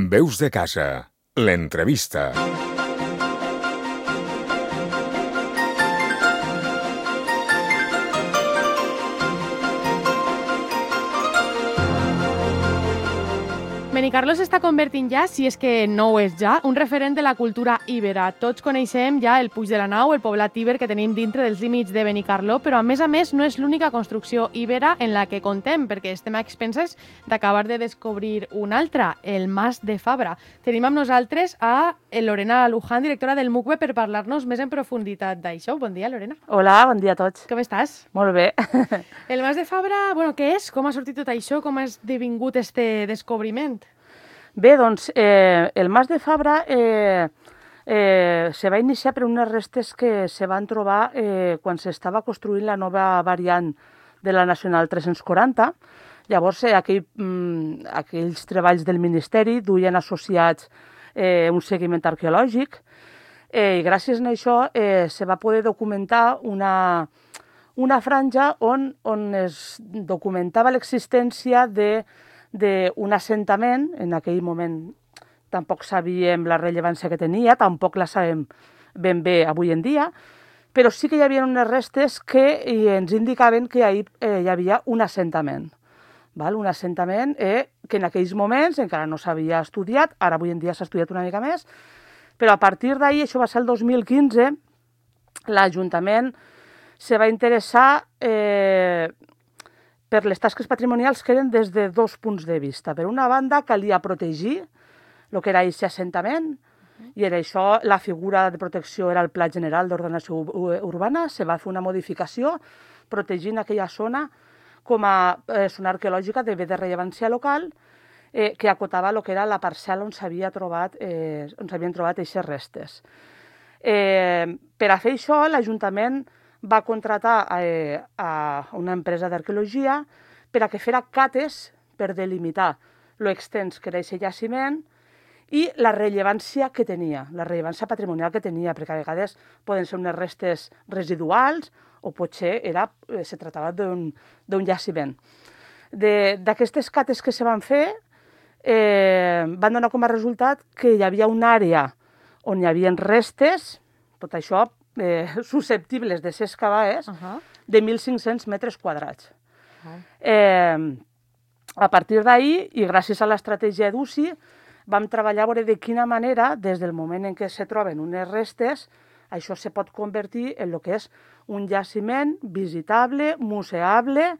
Veus de casa, l'entrevista. Benicarló s'està convertint ja, si és que no ho és ja, un referent de la cultura íbera. Tots coneixem ja el Puig de la Nau, el poblat íber que tenim dintre dels límits de Benicarló, però a més no és l'única construcció íbera en la que contem, perquè estem a expenses d'acabar de descobrir una altra, el Mas de Fabra. Tenim amb nosaltres a Lorena Luján, directora del MUCBE, per parlar-nos més en profunditat d'això. Bon dia, Lorena. Hola, bon dia a tots. Com estàs? Molt bé. El Mas de Fabra, què és? Com ha sortit tot això? Com ha esdevingut este descobriment? Bé, doncs, el Mas de Fabra se va iniciar per unes restes que se van trobar quan s'estava construint la nova variant de la Nacional 340. Llavors, aquells treballs del Ministeri duien associats un seguiment arqueològic i gràcies a això se va poder documentar una franja on es documentava l'existència d'un assentament. En aquell moment tampoc sabíem la rellevància que tenia, tampoc la sabem ben bé avui en dia, però sí que hi havia unes restes que ens indicaven que hi havia un assentament. Un assentament que en aquells moments encara no s'havia estudiat, ara avui en dia s'ha estudiat una mica més, però a partir d'ahir, això va ser el 2015, l'Ajuntament se va interessar per les tasques patrimonials que eren des de dos punts de vista. Per una banda, calia protegir el que era aquest assentament, i era això, la figura de protecció era el Pla General d'Ordenació Urbana. Se va fer una modificació protegint aquella zona com a zona arqueològica de bé de rellevància local que acotava el que era la parcel·la on s'havien trobat aquestes restes. Per a fer això, l'Ajuntament va contratar a una empresa d'arqueologia per a que fera cates per delimitar l'extens que era aquest jaciment i la rellevància que tenia, la rellevància patrimonial que tenia, perquè a vegades poden ser unes restes residuals o potser se tractava d'un jaciment. D'aquestes cates que se van fer, van donar com a resultat que hi havia una àrea on hi havia restes, tot això susceptibles de ser excavades, de 1.500 metres quadrats. A partir d'ahir, i gràcies a l'estratègia d'UCI, vam treballar a veure de quina manera, des del moment en què se troben unes restes, això se pot convertir en el que és un jaciment visitable, museable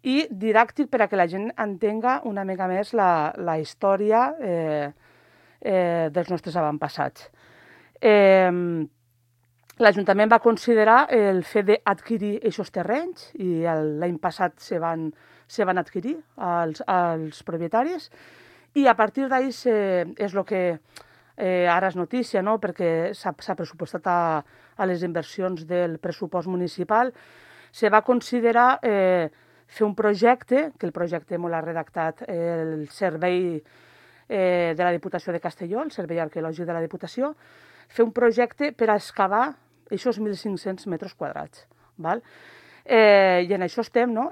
i didàctic per a que la gent entenga una mica més la història dels nostres avantpassats. L'Ajuntament va considerar el fet d'adquirir aquests terrenys i l'any passat se van adquirir als propietaris, i a partir d'ahir és el que ara és notícia, no? Perquè s'ha pressupostat a les inversions del pressupost municipal. Se va considerar fer un projecte, que el projecte m'ho l'ha redactat el Servei de la Diputació de Castelló, el Servei Arqueològic de la Diputació, fer un projecte per a excavar aquests 1.500 metres quadrats. I en això estem, no?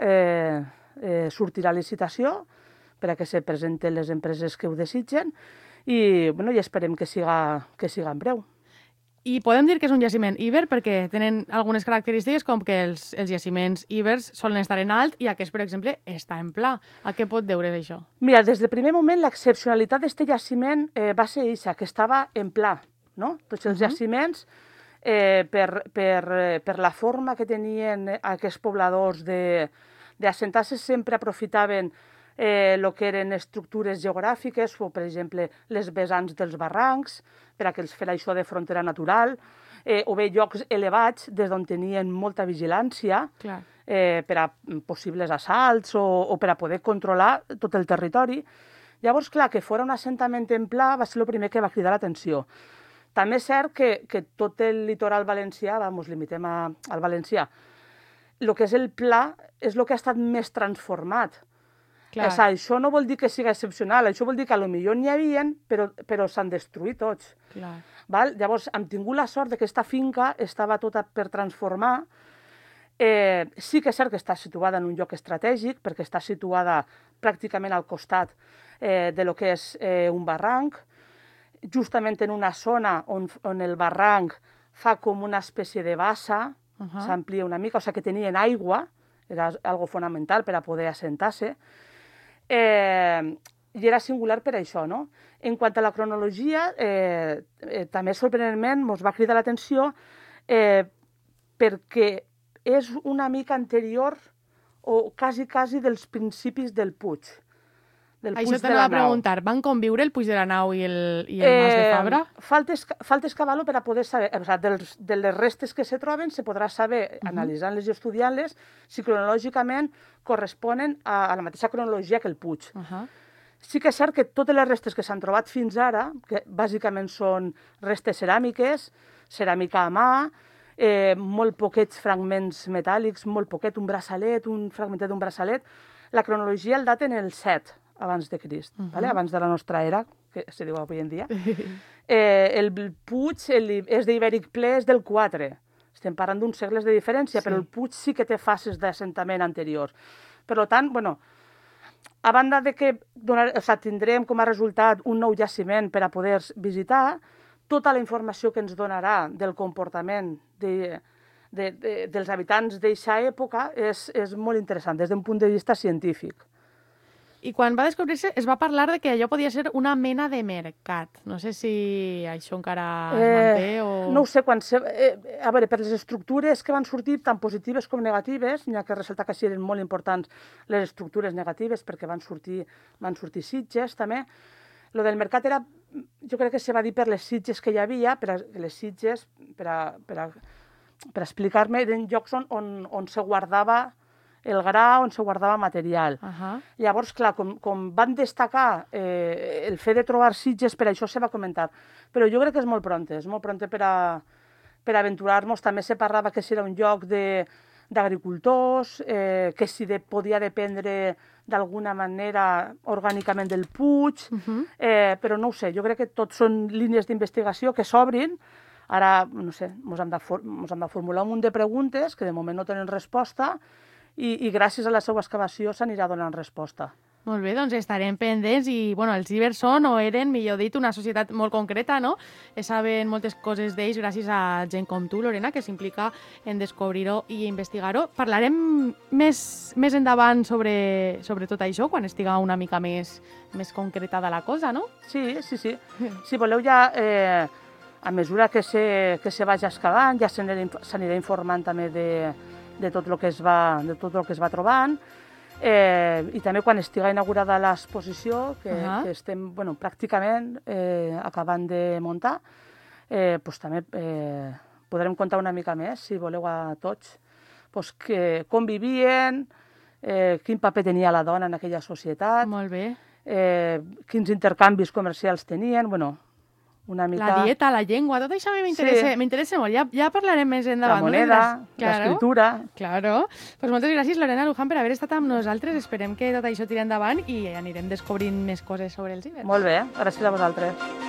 Sortirà licitació per a que se presenten les empreses que ho desitgen i esperem que siga en breu. I podem dir que és un jaciment íber perquè tenen algunes característiques com que els jaciments íbers solen estar en alt i aquest, per exemple, està en pla. A què pot deure això? Mira, des del primer moment l'excepcionalitat d'aquest jaciment va ser això, que estava en pla. No? Tots els jaciments, per la forma que tenien aquests pobladors d'assentar-se, sempre aprofitaven el que eren estructures geogràfiques, o per exemple les vessants dels barrancs, per a que els fera això de frontera natural, o bé llocs elevats des d'on tenien molta vigilància per a possibles assalts o per a poder controlar tot el territori. Llavors, clar, que fos un assentament en pla va ser el primer que va cridar l'atenció. També és cert que tot el litoral valencià, limitem al valencià, el que és el pla és el que ha estat més transformat. Això no vol dir que sigui excepcional, això vol dir que potser n'hi havia, però s'han destruït tots. Llavors, hem tingut la sort que aquesta finca estava tota per transformar. Sí que és cert que està situada en un lloc estratègic, perquè està situada pràcticament al costat de lo que és un barranc, justament en una zona on el barranc fa com una espècie de bassa, s'amplia una mica, o sigui que tenien aigua, era algo fonamental per a poder assentar-se, i era singular per això, no? En quant a la cronologia, també sorprenentment ens va cridar l'atenció perquè és una mica anterior o quasi dels principis del Puig. Això t'anava a preguntar, van conviure el Puig de la Nau i el Mas de Fabra? Falta excavar-lo per a poder saber, o sigui, de les restes que se troben se podrà saber, analitzant-les i estudiant-les, si cronològicament corresponen a la mateixa cronologia que el Puig. Sí que és cert que totes les restes que s'han trobat fins ara, que bàsicament són restes ceràmiques, ceràmica a mà, molt poquets fragments metàl·lics, molt poquet, un braçalet, un fragmentet d'un braçalet, la cronologia el daten el 7 abans de Crist, abans de la nostra era, que se diu avui en dia. El Puig, és d'Ibèric Ple, és del 4. Estem parlant d'uns segles de diferència, però el Puig sí que té fases d'assentament anteriors. Per tant, bueno, a banda de que tindrem com a resultat un nou jaciment per a poder visitar, tota la informació que ens donarà del comportament dels habitants d'aquesta època és molt interessant des d'un punt de vista científic. I quan va descobrir-se es va parlar de que allò podia ser una mena de mercat. No sé si això encara es manté o... No ho sé, a veure, per les estructures que van sortir, tant positives com negatives, n'hi ha que ressaltar que sí eren molt importants les estructures negatives perquè van sortir sitges també. Lo del mercat era, jo crec que se va dir per les sitges que hi havia, les sitges, per a explicar-me, eren llocs on se guardava el gra, on se guardava material. Llavors, clar, com van destacar el fet de trobar sitges, per això se va comentar. Però jo crec que és molt pront per a aventurar-nos. També se parlava que era un lloc d'agricultors, que si podia dependre d'alguna manera orgànicament del Puig, però no ho sé, jo crec que tot són línies d'investigació que s'obrin. Ara, no sé, ens hem de formular un munt de preguntes que de moment no tenen resposta i gràcies a la seva excavació s'anirà donant resposta. Molt bé, doncs estarem pendents i, bueno, els ibers són o eren, millor dit, una societat molt concreta, no? Saben moltes coses d'ells gràcies a gent com tu, Lorena, que s'implica en descobrir-ho i investigar-ho. Parlarem més endavant sobre tot això, quan estiga una mica més concretada la cosa, no? Sí. Si voleu ja, a mesura que se vagi excavant, ja s'anirà informant també de tot el que es va trobant. I també quan estiga inaugurada l'exposició, que estem pràcticament acabant de muntar, també podrem contar una mica més, si voleu, a tots, com vivien, quin paper tenia la dona en aquella societat, molt bé, quins intercanvis comercials tenien, una mica... La dieta, la llengua, tot això a mi m'interessa molt. Ja parlarem més endavant. La moneda, l'escriptura... Claro. Pues moltes gràcies, Lorena Luján, per haver estat amb nosaltres. Esperem que tot això tiri endavant i anirem descobrint més coses sobre els ibers. Molt bé, gràcies a vosaltres.